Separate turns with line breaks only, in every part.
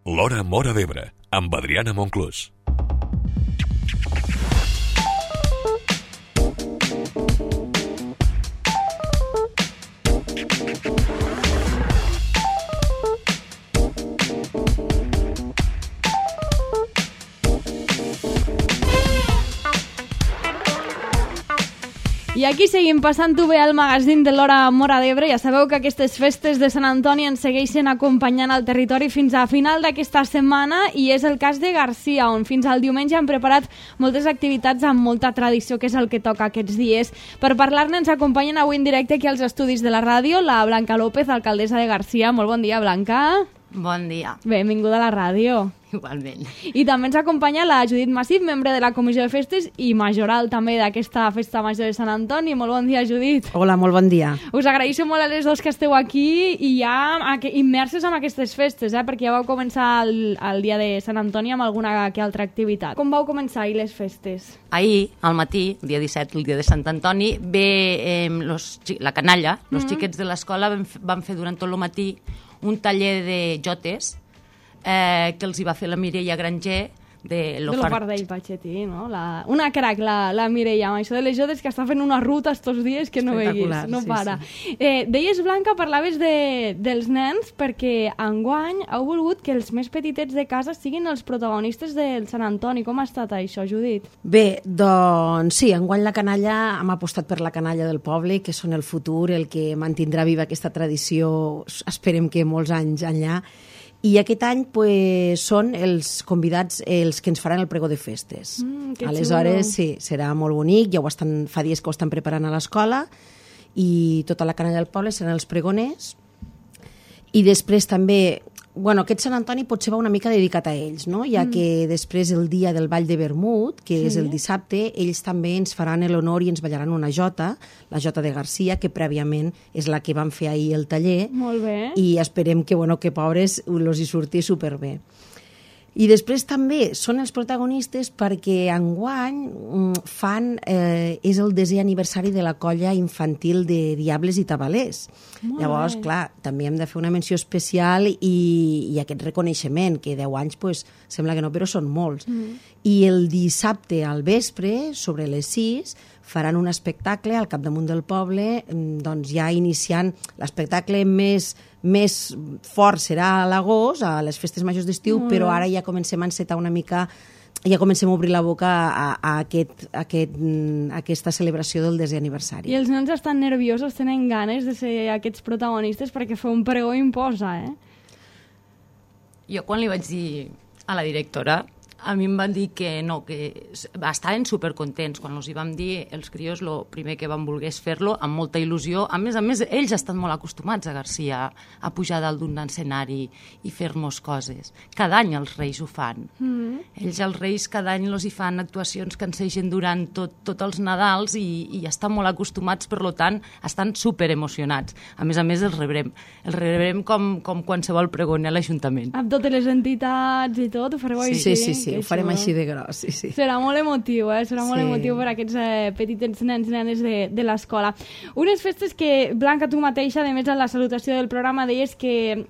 L'Hora Móra d'Ebre, amb Adriana Monclús.
I aquí seguim passant-ho bé al magazín de l'Hora Móra d'Ebre. Ja sabeu que aquestes festes de Sant Antoni ens segueixen acompanyant al territori fins a final d'aquesta setmana i és el cas de Garcia, on fins al diumenge han preparat moltes activitats amb molta tradició, que és el que toca aquests dies. Per parlar-ne ens acompanyen avui en directe aquí als estudis de la ràdio la Blanca López, alcaldessa de Garcia. Molt bon dia, Blanca.
Bon dia.
Benvinguda a la ràdio.
Igualment.
I també ens acompanya la Judit Massip, membre de la Comissió de Festes i majoral també d'aquesta festa major de Sant Antoni. Molt bon dia, Judit.
Hola, molt bon dia.
Us agraeixo molt a les dos que esteu aquí i ja immerses en aquestes festes, perquè ja vau començar el dia de Sant Antoni amb alguna que altra activitat. Com vau començar ahir les festes?
Ahir, al matí, el dia 17, el dia de Sant Antoni, la canalla, els xiquets de l'escola van fer durant tot el matí un taller de jotes que els hi va fer la Mireia Granger de
l'Ofardell Patxetí, no? Una crac, la Mireia, amb això de les jotes, que està fent una ruta estos dies que no veiguis, no para. Sí. Deies, Blanca, parlaves dels nens perquè enguany heu volgut que els més petitets de casa siguin els protagonistes del Sant Antoni. Com ha estat això, Judit?
Bé, doncs sí, enguany la canalla, hem apostat per la canalla del poble, que són el futur, el que mantindrà viva aquesta tradició, esperem que molts anys enllà. I aquest any són els convidats els que ens faran el pregó de festes. Aleshores, sí, serà molt bonic, fa dies que ho estan preparant a l'escola i tota la canalla del poble seran els pregoners. I després també, aquest Sant Antoni potser va una mica dedicat a ells, no? Ja que després el dia del Ball de Vermut, que és el dissabte, ells també ens faran l'honor i ens ballaran una jota, la jota de Garcia, que prèviament és la que van fer ahir el taller.
Molt bé.
I esperem que pobres els hi surti superbé. I després també són els protagonistes perquè enguany és el 10è aniversari de la colla infantil de Diables i Tabalers. Llavors, clar, també hem de fer una menció especial i aquest reconeixement, que 10 anys sembla que no, però són molts. I el dissabte al vespre, sobre les 6, faran un espectacle al capdamunt del poble, doncs ja iniciant l'espectacle més fort serà a l'agost, a les festes majors d'estiu, però ara ja comencem a encetar una mica, ja comencem a obrir la boca a aquesta celebració del 10è aniversari.
I els nens estan nerviosos, tenen ganes de ser aquests protagonistes perquè fer un pregó imposa,
Jo quan li vaig dir a la directora, a mi em van dir que no, que estaven supercontents. Quan els hi vam dir, els crios, el primer que van voler fer-lo, amb molta il·lusió. A més, ells estan molt acostumats a Garcia a pujar dalt d'un escenari i fer-nos coses. Cada any els Reis ho fan. Ells, els Reis, cada any els hi fan actuacions que ensegen durant tots els Nadals i estan molt acostumats, per tant, estan superemocionats. A més, els rebrem. Els rebrem com qualsevol pregoner a l'Ajuntament.
Amb totes les entitats i tot, ho fareu
així? Sí. Ho farem així de gros, sí.
Serà molt emotiu, serà molt emotiu per aquests petitets nens i nenes de l'escola. Unes festes que, Blanca, tu mateixa, a més de la salutació del programa, deies que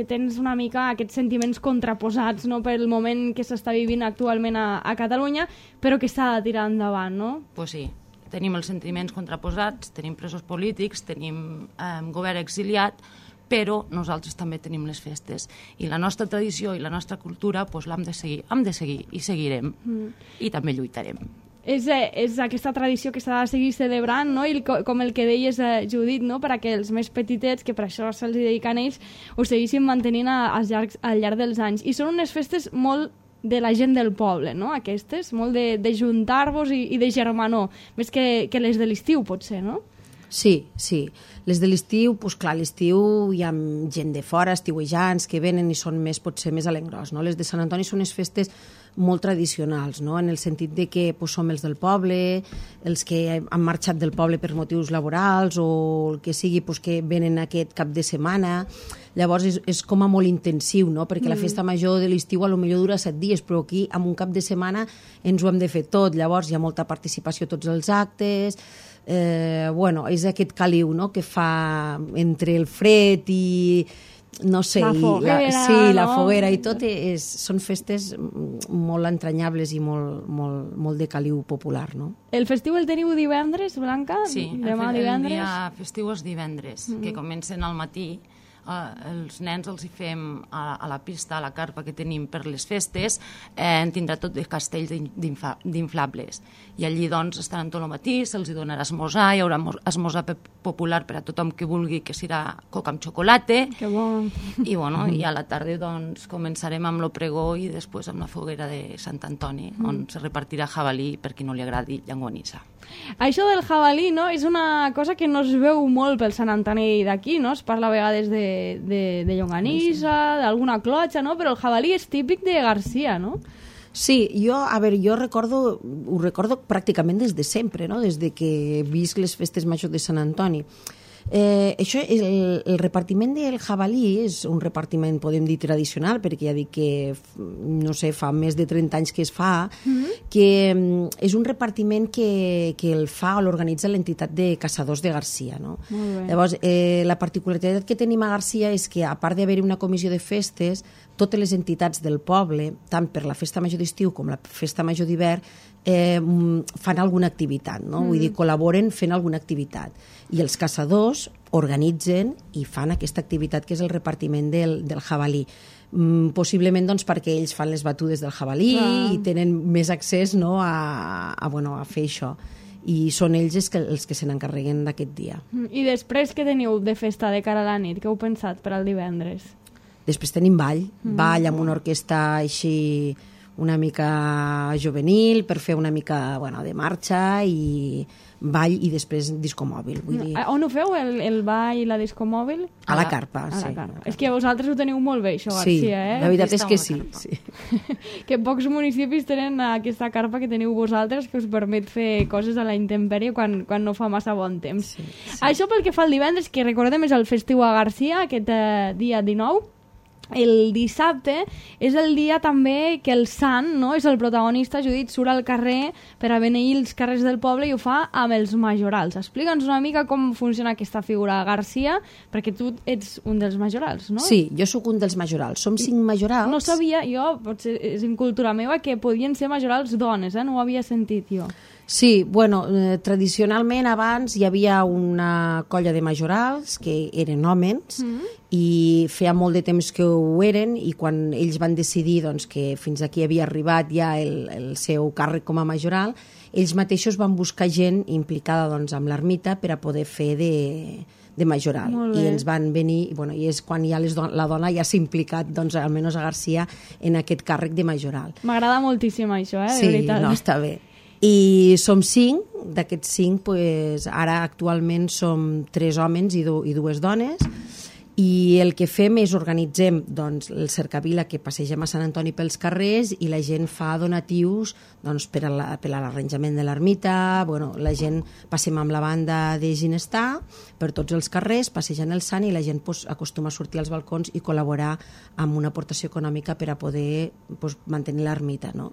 tens una mica aquests sentiments contraposats, no?, pel moment que s'està vivint actualment a Catalunya, però que s'ha de tirar endavant, no?
Pues sí, tenim els sentiments contraposats, tenim presos polítics, tenim govern exiliat, però nosaltres també tenim les festes. I la nostra tradició i la nostra cultura l'hem de seguir i seguirem. I també lluitarem.
És aquesta tradició que s'ha de seguir celebrant, no? I com el que deies, Judit, no? perquè els més petitets, que per això se'ls dediquen ells, ho seguissin mantenint al llarg dels anys. I són unes festes molt de la gent del poble, no? Aquestes, molt de juntar-vos i de germanor, més que les de l'estiu, potser, no?
Sí. Les de l'estiu, clar, a l'estiu hi ha gent de fora, estiuejants, que venen i són potser més a l'engròs, no? Les de Sant Antoni són unes festes molt tradicionals, no? En el sentit de que som els del poble, els que han marxat del poble per motius laborals o el que sigui, que venen aquest cap de setmana. Llavors és com a molt intensiu, no? Perquè la festa major de l'estiu potser dura 7 dies, però aquí en un cap de setmana ens ho hem de fer tot. Llavors hi ha molta participació a tots els actes. És aquest caliu, no?, que fa entre el fred i no sé,
La foguera,
la
no?
foguera i tot són festes molt entranyables i molt de caliu popular, no?
El festiu el teniu divendres, Blanca?
Sí,
Demà divendres?
el dia festiu és divendres, que comencen al matí. Els nens els hi fem a la pista, a la carpa que tenim per les festes, tindrà tot de castells d'inflables. I allí doncs estaran tot el matí, se'ls donarà esmorzar, hi haurà esmorzar popular per a tothom que vulgui, que serà coca amb xocolata.
Que bo.
I bueno, i a la tarda doncs començarem amb el pregó i després amb la foguera de Sant Antoni, on se repartirà jabalí per qui no li agradi llangonissa.
Això del jabalí, no?, és una cosa que no es veu molt pel Sant Antoni d'aquí, no? Es parla a vegades de llonganissa, d'alguna clotxa, no? Però el jabalí és típic de Garcia, no?
Sí, jo recordo, ho recordo pràcticament des de sempre, no? Des de que visc les festes majors de Sant Antoni. Això, el repartiment del jabalí és un repartiment, podem dir, tradicional, perquè ja dic que, no sé, fa més de 30 anys que es fa, que és un repartiment que el fa o l'organitza l'entitat de caçadors de Garcia, no? Llavors, la particularitat que tenim a Garcia és que, a part d'haver-hi una comissió de festes, totes les entitats del poble, tant per la festa major d'estiu com la festa major d'hivern, fan alguna activitat, no? Vull dir, col·laboren fent alguna activitat. I els caçadors organitzen i fan aquesta activitat que és el repartiment del jabalí. Possiblement doncs, perquè ells fan les batudes del jabalí i tenen més accés, no, a fer això. I són ells els que se n'encarreguen d'aquest dia.
I després què teniu de festa de cara a la nit? Què heu pensat per al divendres?
Després tenim ball amb una orquestra així una mica juvenil per fer una mica de marxa i ball i després disco mòbil. Vull dir...
On ho feu, el ball i la disco mòbil?
A la carpa, sí.
És que vosaltres ho teniu molt bé, això, Garcia, eh?
La veritat és que sí.
Que pocs municipis tenen aquesta carpa que teniu vosaltres que us permet fer coses a la intempèrie quan no fa massa bon temps. Sí. Això pel que fa al divendres, que recordem és el festiu a Garcia, aquest dia 19. El dissabte és el dia també que el sant, no?, és el protagonista. Judit surt al carrer per a beneir els carrers del poble i ho fa amb els majorals. Explica'ns una mica com funciona aquesta figura a Garcia, perquè tu ets un dels majorals, no?
Sí, jo sóc un dels majorals. Som 5 majorals.
No sabia, jo, potser és en cultura meva, que podien ser majorals dones, no ho havia sentit jo.
Sí, tradicionalment abans hi havia una colla de majorals que eren homes i feia molt de temps que ho eren i quan ells van decidir doncs, que fins aquí havia arribat ja el seu càrrec com a majoral, ells mateixos van buscar gent implicada doncs, amb l'ermita per a poder fer de majoral. I ens van venir, i és quan ja la dona ja s'ha implicat, doncs, almenys a Garcia, en aquest càrrec de majoral.
M'agrada moltíssim això, de veritat.
Sí, no, està bé. I som 5, d'aquests 5, ara actualment som 3 homes i 2 dones, i el que fem és organitzem doncs, el cercavila que passegem a Sant Antoni pels carrers i la gent fa donatius doncs, per a l'arranjament de l'ermita. La gent passem amb la banda de Ginestar per tots els carrers, passejant el sant, i la gent acostuma a sortir als balcons i col·laborar amb una aportació econòmica per a poder mantenir l'ermita. No?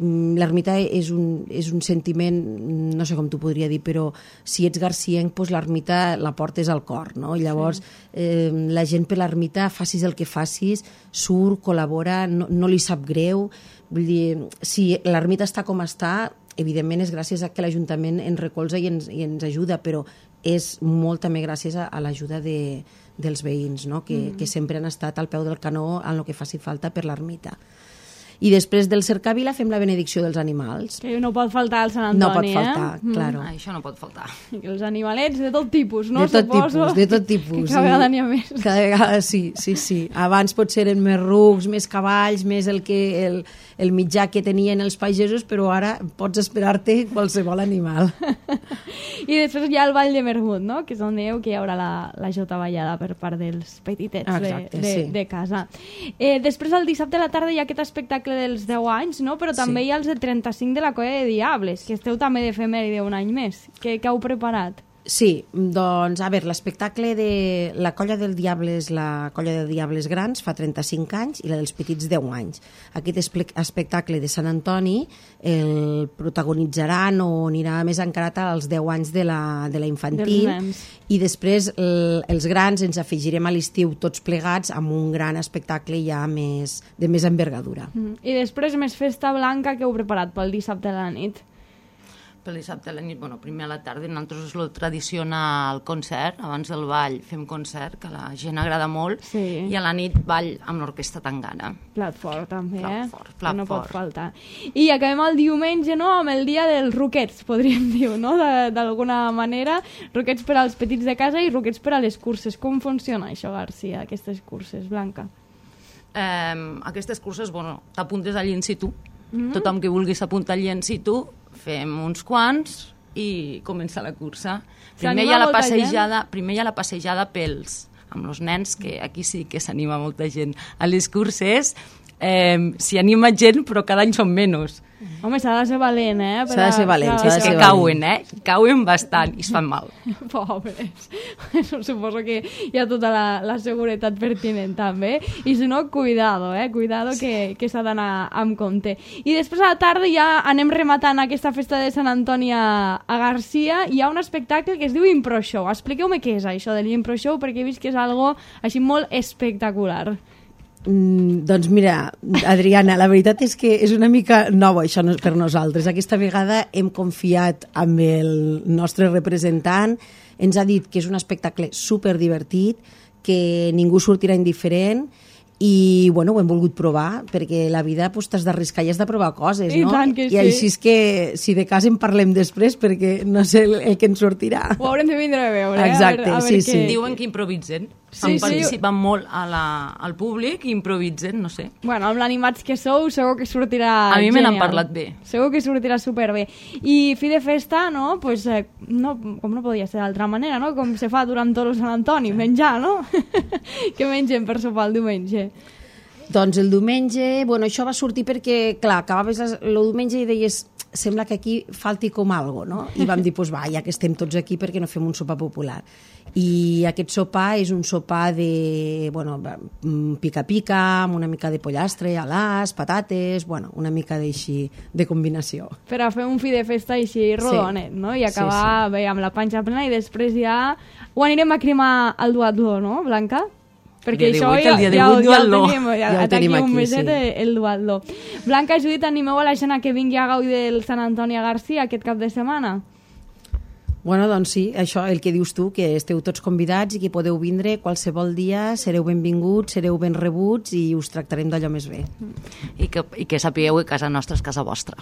L'ermita és un sentiment, no sé com t'ho podria dir, però si ets garcienc, l'ermita la portes al cor. No? I llavors la gent per l'ermita, facis el que facis, surt, col·labora, no li sap greu. Vull dir, si l'ermita està com està, evidentment és gràcies a que l'Ajuntament ens recolza i ens ajuda, però és molt també gràcies a l'ajuda dels veïns, no? Que sempre han estat al peu del canó en el que faci falta per l'ermita. I després del cercavila fem la benedicció dels animals.
Que no pot faltar al Sant Antoni,
No pot faltar, claro.
Això no pot faltar.
Els animalets de tot tipus, no?
De tot tipus.
Que cada vegada n'hi ha més.
Cada vegada, sí. Abans potser eren més rucs, més cavalls, més el mitjà que tenien els pagesos, però ara pots esperar-te qualsevol animal.
I després hi ha el Ball de Mermut, no? Que és on dèieu que hi haurà la jota ballada per part dels petitets de casa. Després, el dissabte a la tarda, hi ha aquest espectacle dels 10 anys, no? Però també hi ha els de 35 de la Colla de Diables, que esteu també d'efemèride un any més. Què heu preparat?
Sí, doncs, a veure, l'espectacle de la Colla del Diables, la Colla de Diables Grans fa 35 anys i la dels Petits 10 anys. Aquest espectacle de Sant Antoni el protagonitzaran o anirà més encarat als 10 anys de la infantil i després els grans ens afegirem a l'estiu tots plegats amb un gran espectacle ja de més envergadura.
I després més festa blanca que heu preparat pel dissabte a la nit.
Pel dissabte a la nit, primer a la tarda, nosaltres és el tradicional concert, abans del ball fem concert, que a la gent agrada molt, i a la nit ball amb l'orquestra Tangana.
Plat fort, també,
plat fort.
No pot faltar. I acabem el diumenge, no?, amb el dia dels roquets, podríem dir, no?, d'alguna manera, roquets per als petits de casa i roquets per a les curses. Com funciona això, Garcia, aquestes curses, Blanca?
Aquestes curses, t'apuntes allí in situ, tothom que vulgui s'apuntar allí in situ, fem uns quants i comença la cursa. Primer hi ha la passejada amb els nens, que aquí sí que s'anima molta gent. A les curses s'hi anima gent, però cada any són menys.
Home, s'ha de ser valent, eh?
S'ha de ser valent,
És que cauen, cauen bastant i es fan mal.
Pobres. Suposo que hi ha tota la seguretat pertinent, també. I si no, cuidado, cuidado que s'ha d'anar amb compte. I després a la tarda ja anem rematant aquesta festa de Sant Antoni a Garcia. Hi ha un espectacle que es diu Impro Show. Expliqueu-me què és això de l'Impro Show, perquè he vist que és algo així molt espectacular.
Doncs mira, Adriana, la veritat és que és una mica nova això per nosaltres. Aquesta vegada hem confiat amb el nostre representant, ens ha dit que és un espectacle superdivertit, que ningú sortirà indiferent i ho hem volgut provar, perquè la vida t'has d'arriscar i has de provar coses, no?
I tant que sí.
I així és que, si de cas en parlem després, perquè no sé el que ens sortirà.
Ho haurem de vindre a veure.
Exacte,
a veure
sí.
Diuen que improvisen. Participen molt al públic i improvisen, no sé.
Bueno, amb l'animats que sou, segur que sortirà
genial. A mi me n'han parlat bé.
Segur que sortirà superbé. I fi de festa, no? Pues, com no podia ser d'altra manera, no? Com se fa durant tot el Sant Antoni, menjar, no? Què mengem per sopar el diumenge?
Doncs el diumenge, això va sortir perquè, clar, acabaves el diumenge i deies, sembla que aquí falti com algo, no? I vam dir, ja que estem tots aquí, perquè no fem un sopar popular. I aquest sopar és un sopar de, pica-pica, amb una mica de pollastre, alàs, patates, una mica d'així, de combinació.
Per a fer un fi de festa així rodonet, no? I acabar bé amb la panxa plena i després ja ho anirem a cremar al duatló, no, Blanca? Perquè això ja ho tenim aquí, un meset, el duatló. Blanca, Judit, animeu a la gent que vingui a gaudir del Sant Antoni a Garcia aquest cap de setmana?
Doncs sí, això, el que dius tu, que esteu tots convidats i que podeu vindre qualsevol dia, sereu benvinguts, sereu ben rebuts i us tractarem d'allò més bé.
I que sapigueu que casa nostra és casa vostra.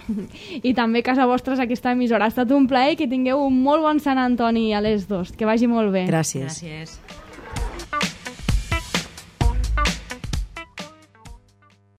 I també casa vostra és aquesta emissora. Ha estat un plaer, que tingueu un molt bon Sant Antoni a les 2. Que vagi molt bé.
Gràcies.
Gràcies.